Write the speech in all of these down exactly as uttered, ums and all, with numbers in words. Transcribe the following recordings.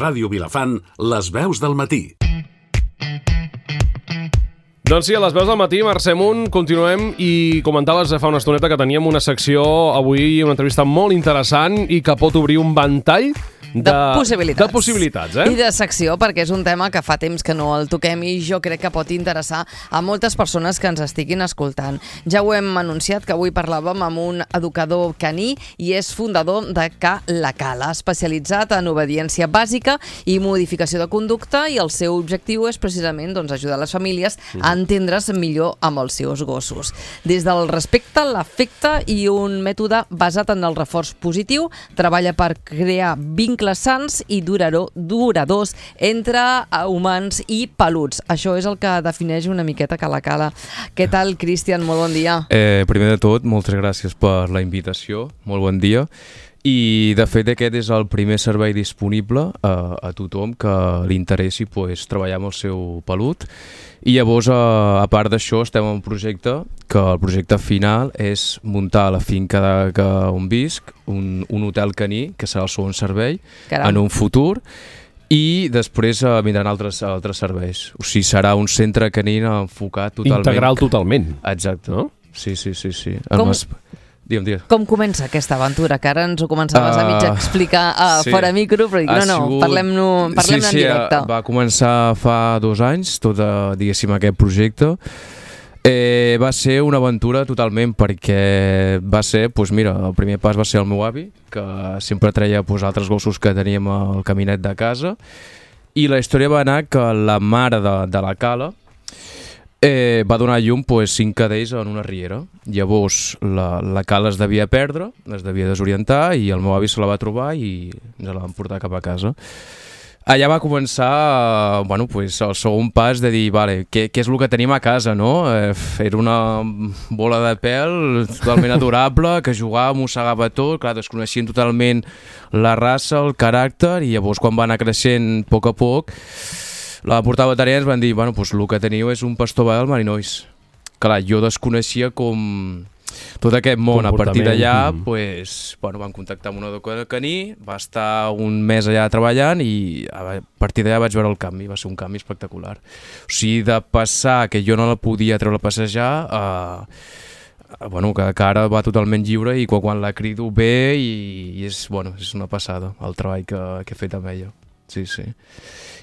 Ràdio Vilafant, les veus del matí. Doncs sí, a les veus del matí, Mercè Munt, continuem i comentaves fa una estoneta que teníem una secció avui, una entrevista molt interessant i que pot obrir un ventall de, de possibilitats. De possibilitats eh? I de secció, perquè és un tema que fa temps que no el toquem i jo crec que pot interessar a moltes persones que ens estiguin escoltant. Ja ho hem anunciat, que avui parlàvem amb un educador caní i és fundador de Ca La Cala, especialitzat en obediència bàsica i modificació de conducta, i el seu objectiu és precisament doncs, ajudar les famílies a entendre's millor amb els seus gossos. Des del respecte, l'afecte i un mètode basat en el reforç positiu, treballa per crear vincles sants i durador, duradors entre humans i peluts. Això és el que defineix una miqueta Ca La Cala. Què tal, Cristian? Molt bon dia. Eh, primer de tot, moltes gràcies per la invitació. Molt bon dia. I, de fet, aquest és el primer servei disponible a, a tothom que li interessi pues, treballar amb el seu pelut. I llavors, a, a part d'això, estem en un projecte que el projecte final és muntar a la finca de, que on visc un, un hotel caní, que serà el segon servei, Caram. en un futur, i després uh, vindran altres, altres serveis. O sigui, serà un centre caní enfocat totalment... Integral totalment. Exacte. No? Sí, sí, sí. sí. Com... Mas... Digue'm, digue'm. Com comença aquesta aventura? Que ara ens ho començaves uh, a mig explicar uh, sí. fora micro, però dic, no, no, sigut... parlem-ne parlem sí, sí, en directe. Va començar fa dos anys, tot, uh, diguéssim, aquest projecte. Eh, va ser una aventura totalment, perquè va ser, doncs mira, el primer pas va ser el meu avi, que sempre treia doncs, altres gossos que teníem al caminet de casa, i la història va anar que la mare de, de la Cala eh, va donar a llum pues, cinc cadells en una riera. Llavors la, la Cala es devia perdre, es devia desorientar, i el meu avi se la va trobar i ens la van portar cap a casa. Allà va començar bueno, pues, el segon pas de dir vale, què, què és el que tenim a casa, no? Eh, era una bola de pèl totalment adorable, que jugava, mossegava tot, clar, desconeixien totalment la raça, el caràcter, i llavors quan va anar creixent a poc a poc, la va portar a veterinària i ens van dir bueno, pues, el que teniu és un pastor belga marinois. Clar, jo desconeixia com... tot aquest món. A partir d'allà mm. pues, bueno, vam contactar amb un educador caní, va estar un mes allà treballant i a partir d'allà vaig veure el canvi, va ser un canvi espectacular. O sigui, de passar que jo no la podia treure a passejar a, a bueno, que, que ara va totalment lliure i quan, quan la crido bé i, i és, bueno, és una passada el treball que, que he fet amb ella. Sí, sí.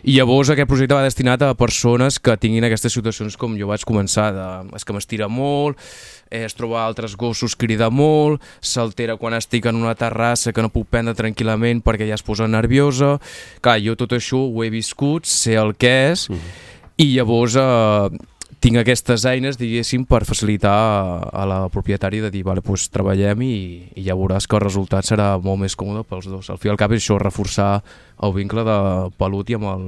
I llavors aquest projecte va destinat a persones que tinguin aquestes situacions com jo vaig començar, de, és que m'estira molt, eh, es troba altres gossos, crida molt, s'altera quan estic en una terrassa que no puc prendre tranquil·lament perquè ja es posa nerviosa. Clar, jo tot això ho he viscut, sé el que és, mm. i llavors eh, tinc aquestes eines, diguéssim, per facilitar a, a la propietària de dir, vale, doncs treballem i, i ja veuràs que el resultat serà molt més còmode pels dos. Al fi i al cap és això, reforçar el vincle de pelut i amb el,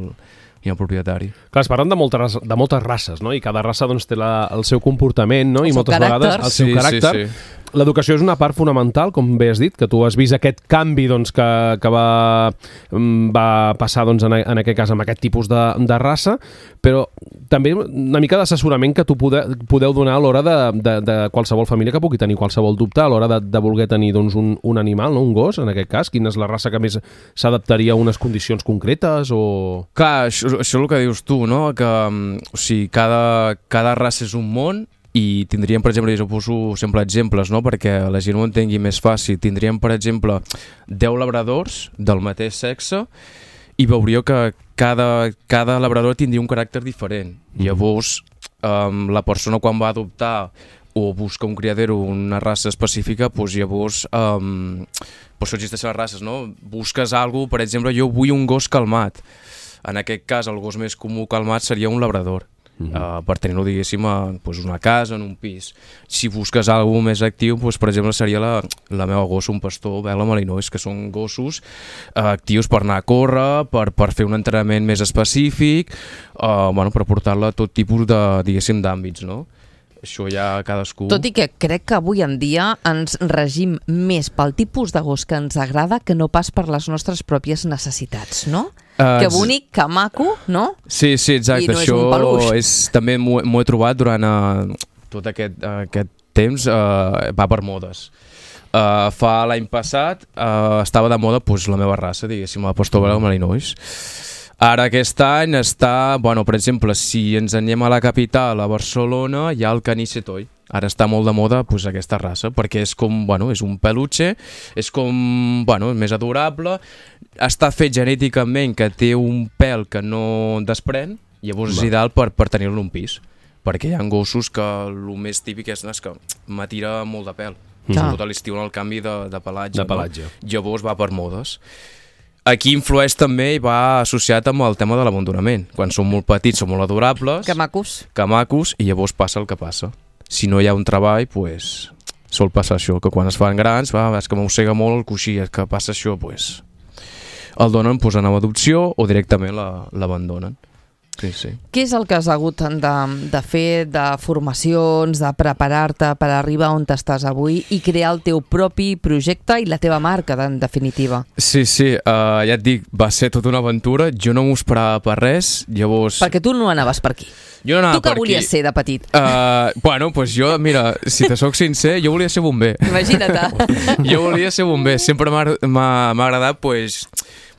i el propietari. Clar, es parlen de moltes, de moltes races, no? I cada raça doncs, té la, el seu comportament, no? El I moltes caràcter. vegades el seu sí, caràcter. Sí, sí. L'educació és una part fonamental, com bé has dit, que tu has vist aquest canvi doncs, que, que va, va passar doncs, en, en aquest cas amb aquest tipus de, de raça, però també una mica d'assessorament que tu pode, podeu donar a l'hora de, de, de qualsevol família que pugui tenir qualsevol dubte, a l'hora de, de voler tenir doncs, un, un animal, no? Un gos, en aquest cas. Quina és la raça que més s'adaptaria a unes condicions concretes? O... Clar, això, això és el que dius tu, no? Que o sigui, cada, cada raça és un món. I tindríem, per exemple, jo poso sempre exemples, no? Perquè la gent ho entengui més fàcil. Tindríem, per exemple, deu labradors del mateix sexe i veuríeu que cada, cada labrador tindria un caràcter diferent. Mm-hmm. Llavors, um, la persona quan va adoptar o busca un criadero, una raça específica, doncs llavors, um, per això existeixen les races, no? Busques alguna cosa, per exemple, jo vull un gos calmat. En aquest cas, el gos més comú calmat seria un labrador. Uh, per tenir-lo, diguéssim, a pues, una casa, en un pis. Si busques alguna més actiu, pues, per exemple, seria la, la meva gossa, un pastor belga malinois, que són gossos uh, actius per anar a córrer, per, per fer un entrenament més específic, uh, bueno, per portar-la a tot tipus de, diguéssim, d'àmbits, no? Això ja cadascú... Tot i que crec que avui en dia ens regim més pel tipus de gos que ens agrada que no pas per les nostres pròpies necessitats, no? Uh, que bonic, que maco, no? Sí, sí, exacte. I no això és un peluix. És, també m'ho he trobat durant uh, tot aquest, uh, aquest temps, uh, va per modes. Uh, fa l'any passat uh, estava de moda pues, la meva raça, diguéssim, la Pastor Belga Malinois. Ara aquest any està, bueno, per exemple, si ens anem a la capital, a Barcelona, hi ha el Caní Setoi. Ara està molt de moda pues, aquesta raça, perquè és com, bueno, és un peluche, és com, bueno, més adorable, està fet genèticament que té un pèl que no desprèn, llavors és ideal per, per tenir-lo en un pis, perquè hi ha gossos que el més típic és, no, és que m'atira molt de pèl, mm. sobretot a l'estiu en el canvi de, de pelatge, de pelatge. No? Llavors va per modes. Aquí influeix també i va associat amb el tema de l'abandonament. Quan són molt petits són molt adorables, que macos, que macos, i llavors passa el que passa. Si no hi ha un treball, pues, sol passar això, que quan es fan grans, va, és que mossega molt el coixí, és que passa això, pues, el donen pues, en adopció o directament l'abandonen. Sí, sí. Què és el que has hagut de, de fer, de formacions, de preparar-te per arribar on estàs avui i crear el teu propi projecte i la teva marca, en definitiva? Sí, sí, uh, ja et dic, va ser tota una aventura, jo no m'ho esperava per res, llavors... Perquè tu no anaves per aquí. Jo no tu què volies ser de petit? Uh, bueno, doncs jo, mira, si te soc sincer, jo volia ser bomber. Imagina't. Jo volia ser bomber, sempre m'ha agradat, pues,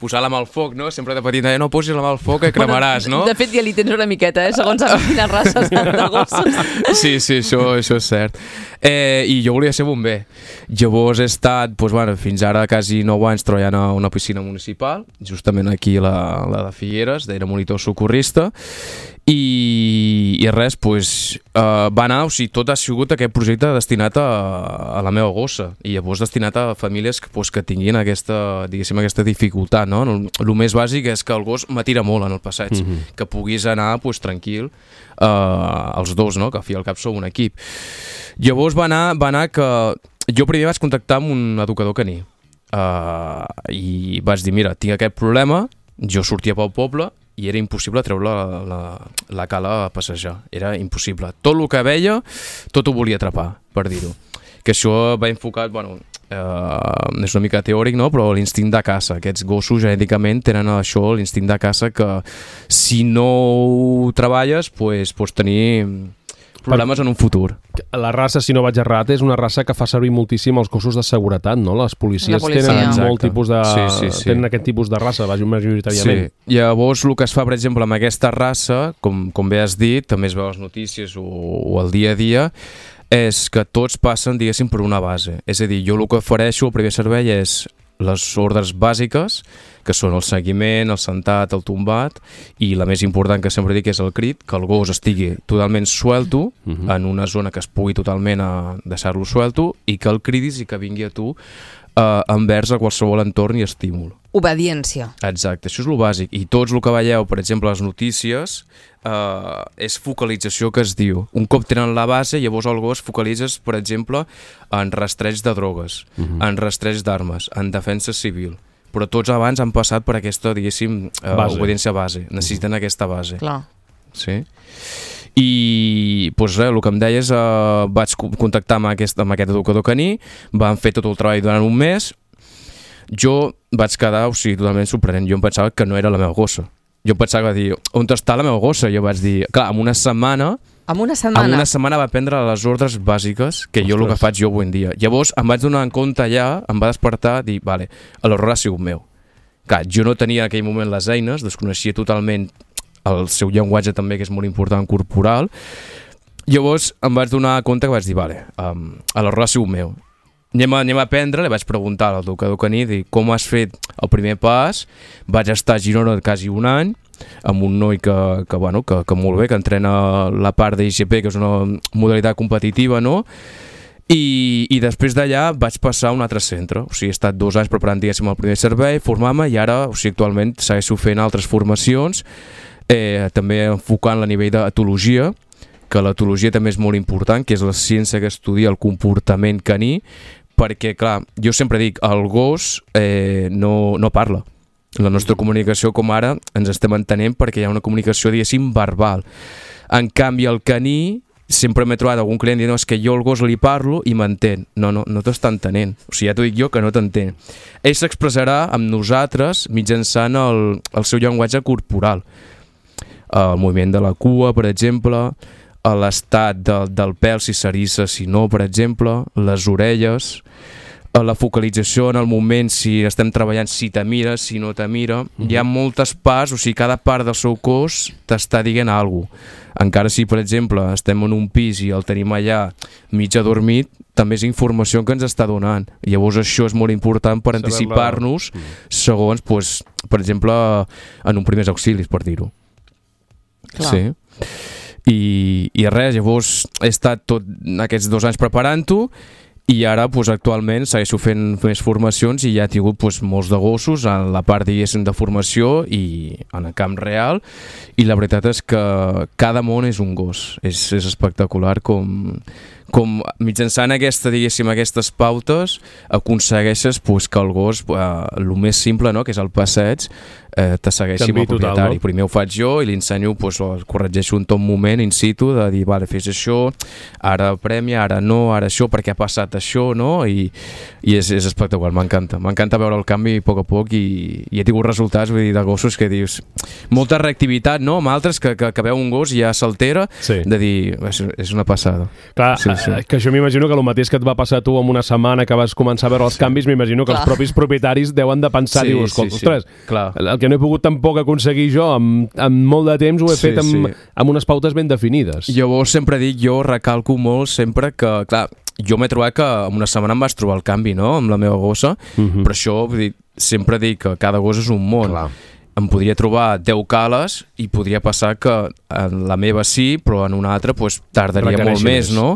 posar la mà al foc, no? Sempre de petit, no posis la mà al foc que cremaràs, no? De fet, ja li tens una miqueta, eh? Segons amb quines races de gossos. Sí, sí, això, això és cert. Eh, I jo volia ser bomber. Llavors he estat, doncs, bueno, fins ara quasi nou anys treballant a una piscina municipal, justament aquí a la, la de Figueres, era monitor socorrista, i, i res, doncs, uh, va anar, o sigui, tot ha sigut aquest projecte destinat a, a la meva gossa, i llavors destinat a famílies que, doncs, que tinguin aquesta, diguéssim, aquesta dificultat, no? El, el més bàsic és que el gos m'atira molt en el passeig, mm-hmm. que puguis anar, doncs, tranquil, uh, els dos, no? Que a fi al cap sou un equip. Llavors va anar, va anar que jo primer vaig contactar amb un educador caní, uh, i vaig dir, mira, tinc aquest problema, jo sortia pel poble, i era impossible treure la, la, la cala a passejar, era impossible. Tot el que veia, tot ho volia atrapar, per dir-ho. Que això va enfocat, bueno, eh, és una mica teòric, no? Però l'instint de caça. Aquests gossos genèticament tenen això, l'instint de caça, que si no ho treballes, pues, pots tenir problemes en un futur. La raça, si no vaig errat, és una raça que fa servir moltíssim els cossos de seguretat, no? Les policies la policia. tenen Exacte. molt tipus de... Sí, sí, sí. tenen aquest tipus de raça, majoritàriament. Sí. Llavors, el que es fa, per exemple, amb aquesta raça, com, com bé has dit, també es veu a les notícies o, o al dia a dia, és que tots passen, diguéssim, per una base. És a dir, jo el que ofereixo, el primer servei és les ordres bàsiques, que són el seguiment, el sentat, el tombat, i la més important que sempre dic és el crit, que el gos estigui totalment suelto, uh-huh. en una zona que es pugui totalment a deixar-lo suelto, i que el cridis i que vingui a tu eh, envers a qualsevol entorn i estímul. Obediència. Exacte, això és el bàsic. I tots el que veieu, per exemple, a les notícies, eh, és focalització que es diu. Un cop tenen la base, llavors el gos focalitzes, per exemple, en rastreig de drogues, uh-huh. en rastreig d'armes, en defensa civil. Però tots abans han passat per aquesta, diguéssim, eh, base. obediència base. Necessiten uh-huh. aquesta base. Clar. Sí. I doncs res, el que em deies, eh, vaig contactar amb aquest, amb aquest educador caní, van fer tot el treball durant un mes. Jo vaig quedar, o sigui, totalment sorprenent. Jo em pensava que no era la meva gossa. Jo em pensava dir, on està la meva gossa? Jo vaig dir, clar, en una setmana... En una setmana? En una setmana va prendre les ordres bàsiques, que Ostres. jo el que faig jo avui en dia. Llavors em vaig donar en compte allà, em va despertar, dir, vale, l'error ha sigut meu. Clar, jo no tenia en aquell moment les eines, desconeixia totalment el seu llenguatge també, que és molt important, corporal. Llavors em vaig donar compte que vaig dir, vale, um, l'error ha sigut meu. Anem a, anem a aprendre, li vaig preguntar al educador caní, dir, com has fet el primer pas. Vaig estar a Girona quasi un any, amb un noi que, que, bueno, que, que molt bé, que entrena la part d'I G P, que és una modalitat competitiva, no? I, i després d'allà vaig passar a un altre centre. O sigui, he estat dos anys preparant, diguéssim, el primer servei, formar-me, i ara, o sigui, actualment segueixo fent altres formacions, eh, també enfocant a nivell d'etologia, que l'etologia també és molt important, que és la ciència que estudia el comportament caní, perquè, clar, jo sempre dic, el gos eh, no, no parla. La nostra comunicació, com ara, ens estem entenent perquè hi ha una comunicació, diguéssim, verbal. En canvi, el caní, sempre m'he trobat algun client dient, no, és que jo al gos li parlo i m'entén. No, no, no t'està entenent. O sigui, ja t'ho dic jo que no t'entén. Ell s'expressarà amb nosaltres mitjançant el, el seu llenguatge corporal. El moviment de la cua, per exemple, l'estat del, del pèl, si s'eriça, si no, per exemple, les orelles, la focalització en el moment, si estem treballant, si te mira, si no te mira, mm-hmm. hi ha moltes parts, o sigui, cada part del seu cos t'està dient alguna cosa. Encara si, per exemple, estem en un pis i el tenim allà mig adormit, també és informació que ens està donant. Llavors això és molt important per anticipar-nos segons, pues, per exemple, en un primers auxilis, per dir-ho. Clar. Sí. I, i res, llavors he estat tot aquests dos anys preparant-ho i ara pues, actualment segueixo fent més formacions i ja he tingut pues, molts de gossos en la part diguéssim de formació i en el camp real, i la veritat és que cada món és un gos, és, és espectacular com, com mitjançant aquesta, diguéssim, aquestes pautes aconsegueixes pues, que el gos, eh, el més simple, no?, que és el passeig, eh, te segueixi amb el propietari. Total, no? Primer ho faig jo i li ensenyo, pues, o corregeixo un tot moment in situ de dir, vale, fes això, ara premia, ara no, ara això, perquè ha passat això, no? I, i és, és espectacular, m'encanta. M'encanta veure el canvi a poc a poc i, i he tingut resultats, vull dir, de gossos que dius, molta reactivitat, no?, amb altres que, que, que veu un gos i ja s'altera, sí. De dir, és, és una passada. Clar, sí, sí. Que això m'imagino que el mateix que et va passar a tu en una setmana que vas començar a veure els sí. canvis, m'imagino que Clar. Els propis propietaris deuen de pensar, sí, dius, sí, ostres, sí. Clar. El que no he pogut tampoc aconseguir jo amb, amb molt de temps ho he sí, fet amb, sí. amb unes pautes ben definides. Llavors sempre dic, jo recalco molt sempre que, clar, jo m'he trobat que en una setmana em vaig trobar el canvi, no?, amb la meva gossa, uh-huh. però això, vull dir, sempre dic que cada gos és un món. Clar. Em podria trobar deu cales i podria passar que en la meva sí, però en una altra pues, tardaria Requereixi molt més, més, no?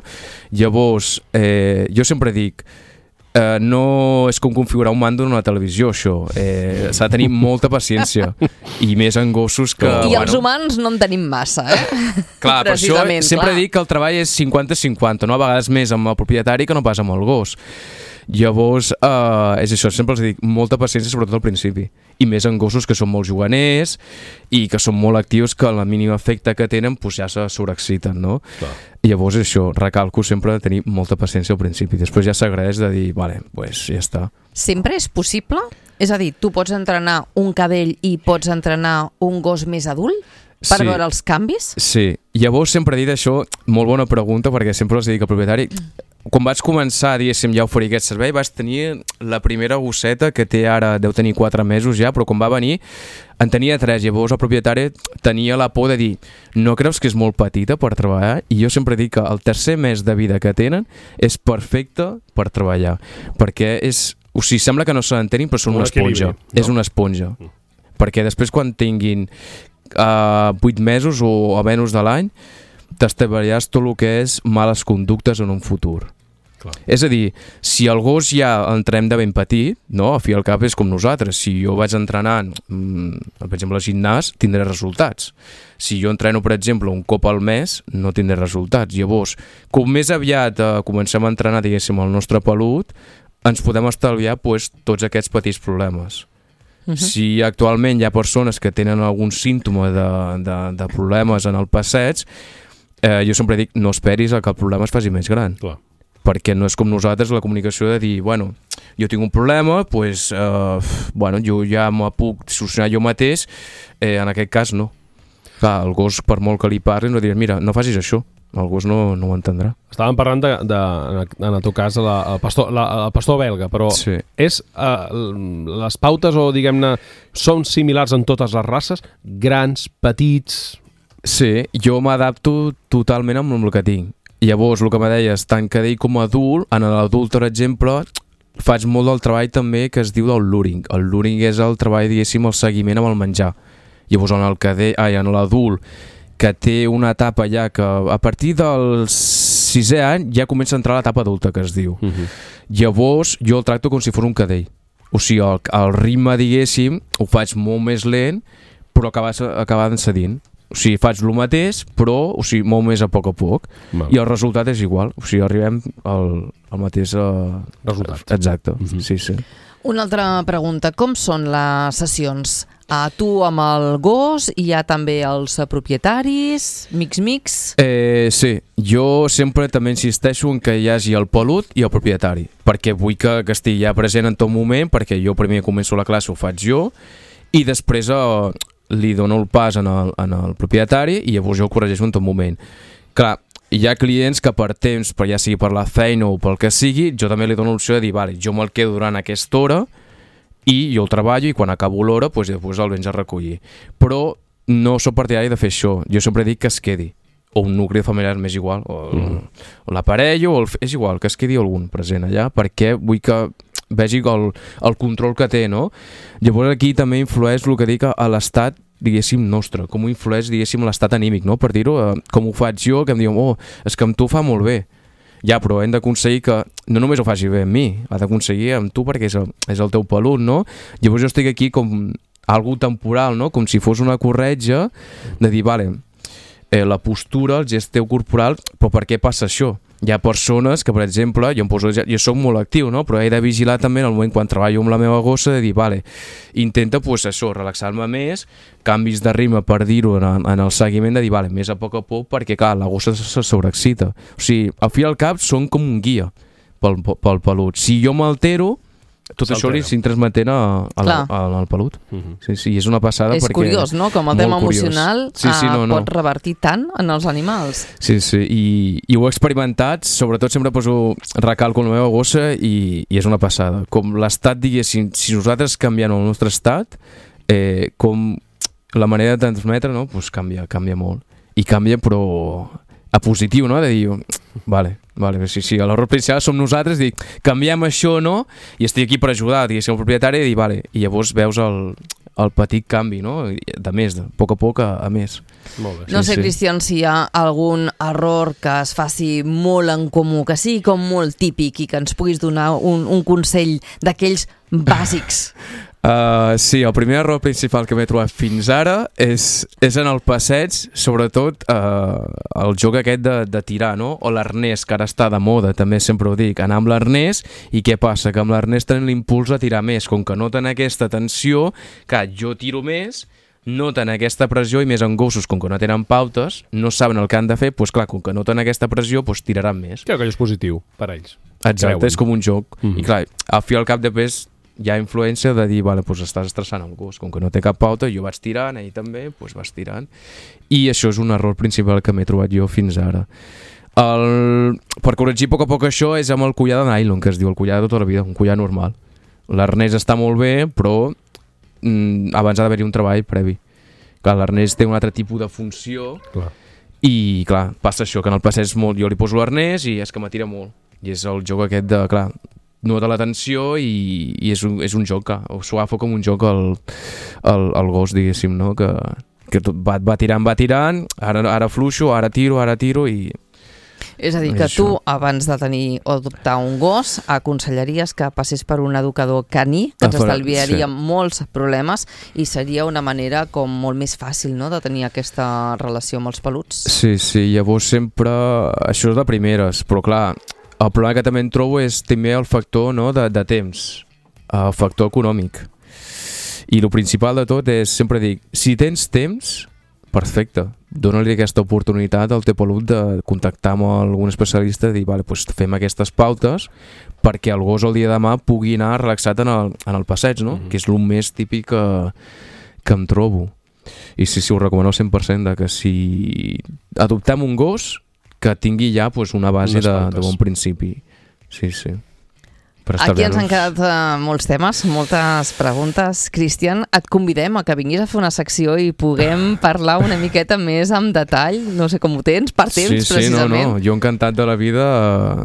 Llavors, eh, jo sempre dic, Uh, no és com configurar un mando en una televisió, això. Eh, s'ha de tenir molta paciència. I més en gossos que... I bueno, els humans no en tenim massa, eh? Clar, per això sempre clar. Dic que el treball és cinquanta cinquanta, no? A vegades més amb el propietari que no pas amb el gos. Llavors, uh, és això, sempre els dic, molta paciència, sobretot al principi. I més en gossos que són molt juganers i que són molt actius, que el mínim efecte que tenen pues, ja se sobreexciten, no? Clar. Llavors, això, recalco sempre de tenir molta paciència al principi. Després ja s'agraeix de dir, vale, pues ja està. Sempre és possible? És a dir, tu pots entrenar un cadell i pots entrenar un gos més adult? Per sí. Veure els canvis? Sí. Llavors sempre he dit això, molt bona pregunta, perquè sempre els dic al propietari, quan vaig començar, diguéssim, ja a oferir aquest servei, vaig tenir la primera gosseta, que té ara, deu tenir quatre mesos ja, però quan va venir en tenia tres. Llavors el propietari tenia la por de dir, no creus que és molt petita per treballar? I jo sempre dic que el tercer mes de vida que tenen és perfecte per treballar, perquè és, o sigui, sembla que no se l'entenin, però són una esponja, no? És una esponja, mm. perquè després quan tinguin uh, vuit mesos o a menys de l'any, t'establiràs tot el que és males conductes en un futur. Clar. És a dir, si el gos ja entrem de ben petit, no? A fi al cap és com nosaltres. Si jo vaig entrenant, mm, per exemple, al gimnàs, tindré resultats. Si jo entreno, per exemple, un cop al mes, no tindré resultats. Llavors, com més aviat eh, comencem a entrenar, diguéssim, el nostre pelut, ens podem estalviar pues, tots aquests petits problemes. Uh-huh. Si actualment hi ha persones que tenen algun símptoma de, de, de problemes en el passeig, eh, jo sempre dic, no esperis a que el problema es faci més gran. Clar. Perquè no és com nosaltres la comunicació de dir, bueno, jo tinc un problema, pues, eh, bueno, jo ja m'ho puc solucionar jo mateix, eh, en aquest cas no. Clar, el gos, per molt que li parlis, no diràs, mira, no facis això, el gos no, no ho entendrà. Estàvem parlant, de, de, en el teu cas, la, el, pastor, la, el pastor belga, però sí. És, uh, les pautes, o diguem-ne, són similars en totes les races? Grans, petits... Sí, jo m'adapto totalment amb el que tinc. Llavors, el que me deies, tant cadell com adult, en l'adult, per exemple, faig molt del treball també que es diu del luring. El luring és el treball, diguéssim, el seguiment amb el menjar. Llavors, en el cadell, ai, en l'adult, que té una etapa ja que a partir del sisè any ja comença a entrar l'etapa adulta, que es diu. Uh-huh. Llavors, jo el tracto com si fos un cadell. O sigui, el, el ritme, diguéssim, ho faig molt més lent, però acabant cedint. O sigui, faig el mateix, però o sigui, molt més a poc a poc. Val. I el resultat és igual. O sigui, arribem al, al mateix... Uh, resultat. Exacte, mm-hmm. sí, sí. Una altra pregunta. Com són les sessions? A tu amb el gos, hi ha també els propietaris, mix-mix? Eh, sí, jo sempre també insisteixo en que hi hagi el pelut i el propietari, perquè vull que, que estigui ja present en tot moment, perquè jo primer començo la classe, ho faig jo, i després... Eh, li dono el pas en el, en el propietari i llavors jo el corregeixo en tot moment. Clar, hi ha clients que per temps, per ja sigui per la feina o pel que sigui, jo també li dono l'opció de dir, vale, jo me'l quedo durant aquesta hora i jo el treballo i quan acabo l'hora doncs, després el vens a recollir. Però no sóc partidari de fer això. Jo sempre dic que es quedi. O un nucli familiar m'és igual, o, mm. o l'aparell, o el, és igual, que es quedi algun present allà, perquè vull que vegi el, el control que té, no? Llavors aquí també influeix el que dic a l'estat, diguéssim, nostre, com ho influeix, diguéssim, l'estat anímic, no? Per dir-ho, eh, com ho faig jo, que em diuen, oh, és que amb tu fa molt bé. Ja, però hem d'aconseguir que no només ho faci bé amb mi, ha d'aconseguir amb tu perquè és el, és el teu pelut, no? Llavors jo estic aquí com algo temporal, no? Com si fos una corretja de dir, vale, eh, la postura, el gest teu corporal, però per què passa això? Hi ha persones que, per exemple, jo, em poso, jo soc molt actiu, no? Però he de vigilar també en el moment quan treballo amb la meva gossa de dir, vale, intenta, pues, això, relaxar-me més, canvis de ritme per dir-ho en, en el seguiment, de dir, vale, més a poc a poc, perquè, clar, la gossa se sobreexcita. O sigui, al fi i al cap són com un guia pel, pel pelut. Si jo m'altero, tot això li s'hi transmetent al pelut. Uh -huh. Sí, sí, és una passada és perquè... És curiós, no?, com el tema emocional sí, sí, no, no. pot revertir tant en els animals. Sí, sí, i, i ho he experimentat, sobretot sempre poso recalco en la meva gossa i, i és una passada. Com l'estat, diguéssim, si nosaltres canviem el nostre estat, eh, com la manera de transmetre, no?, pues canvia, canvia molt. I canvia, però a positiu, no?, de dir, vale, vale, sí, sí, l'error principal som nosaltres, dic, canviem això, no?, i estic aquí per ajudar, diguéssim, el propietari, i dir, vale, i llavors veus el, el petit canvi, no?, de més, de poc a poc a, a més. Molt bé. No sé, sí, Cristian, si hi ha algun error que es faci molt en comú, que sigui com molt típic i que ens puguis donar un, un consell d'aquells bàsics. Uh, sí, el primer error principal que m'he trobat fins ara és, és en el passeig, sobretot uh, el joc aquest de, de tirar, no? O l'arnès, que ara està de moda, també sempre ho dic, anar amb l'arnès, i què passa? Que amb l'arnès tenen l'impuls a tirar més, com que noten aquesta tensió, que jo tiro més, noten aquesta pressió, i més en gossos, com que no tenen pautes, no saben el que han de fer, doncs clar, com que noten aquesta pressió, doncs tiraran més. Crec que és positiu per a ells. Exacte, creuen. És com un joc. Mm-hmm. I clar, al fi i al cap després hi ha influència de dir, vale, doncs estàs estressant el gos, com que no té cap pauta, jo vaig tirant, ell també, doncs vas tirant. I això és un error principal que m'he trobat jo fins ara. El... Per corregir a poc a poc això és amb el collar de nylon, que es diu el collar de tota la vida, un collar normal. L'arnès està molt bé, però mm, abans ha d'haver-hi un treball previ. Clar, l'arnès té un altre tipus de funció. Clar. I clar, passa això, que en el passeig molt, jo li poso l'arnès i és que m'atira molt. I és el joc aquest de, clar, nota l'atenció i, i és, un, és un joc que s'ho agafa com un joc el, el, el gos, diguéssim, no? Que, que tot va, va tirant, va tirant, ara, ara fluixo, ara tiro, ara tiro i... És a dir, que tu, abans de tenir o adoptar un gos, aconsellaries que passés per un educador caní, que ens estalviaria sí. molts problemes i seria una manera com molt més fàcil, no?, de tenir aquesta relació amb els peluts. Sí, sí, llavors sempre... Això és de primeres, però clar, el problema que també en trobo és també el factor, no, de, de temps, el factor econòmic. I el principal de tot és, sempre dic, si tens temps, perfecte, dona-li aquesta oportunitat al teu pelut de contactar amb algun especialista i dir, vale, doncs fem aquestes pautes perquè el gos el dia de demà pugui anar relaxat en el, en el passeig, no? Mm-hmm. Que és el més típic que, que em trobo. I sí, sí, ho recomano al cent per cent de que si adoptem un gos que tingui ja pues, una base de, de bon principi. Sí, sí. Aquí ens han quedat uh, molts temes, moltes preguntes. Cristian, et convidem a que vinguis a fer una secció i puguem parlar una miqueta més amb detall. No sé com ho tens, per temps, sí, sí, precisament. Sí, no, no. Jo encantat de la vida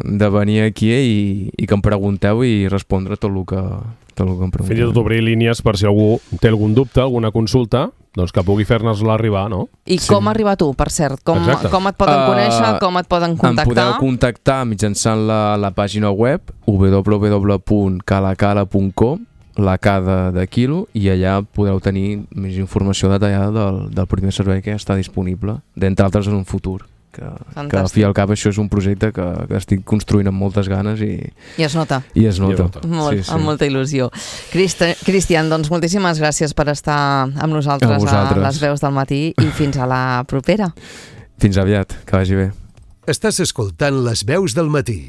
de venir aquí i, i que em pregunteu i respondre tot el que, tot el que em pregunteu. Fins i tot obrir línies per si algú té algun dubte, alguna consulta, doncs que pugui fer-nos-la arribar, no? I sí. Com arribar tu, per cert? Com, com et poden conèixer, uh, com et poden contactar? Em podeu contactar mitjançant la, la pàgina web w w w punt calacala punt com, la K de, de quilo, i allà podeu tenir més informació detallada del, del primer servei que està disponible, d'entre altres en un futur. Que, que al fi i al cap això és un projecte que, que estic construint amb moltes ganes i, I es nota, i es nota. I Molt, sí, sí. Amb molta il·lusió. Cristi, Cristian, doncs moltíssimes gràcies per estar amb nosaltres a, a les veus del matí i fins a la propera. Fins aviat, que vagi bé. Estàs escoltant les veus del matí.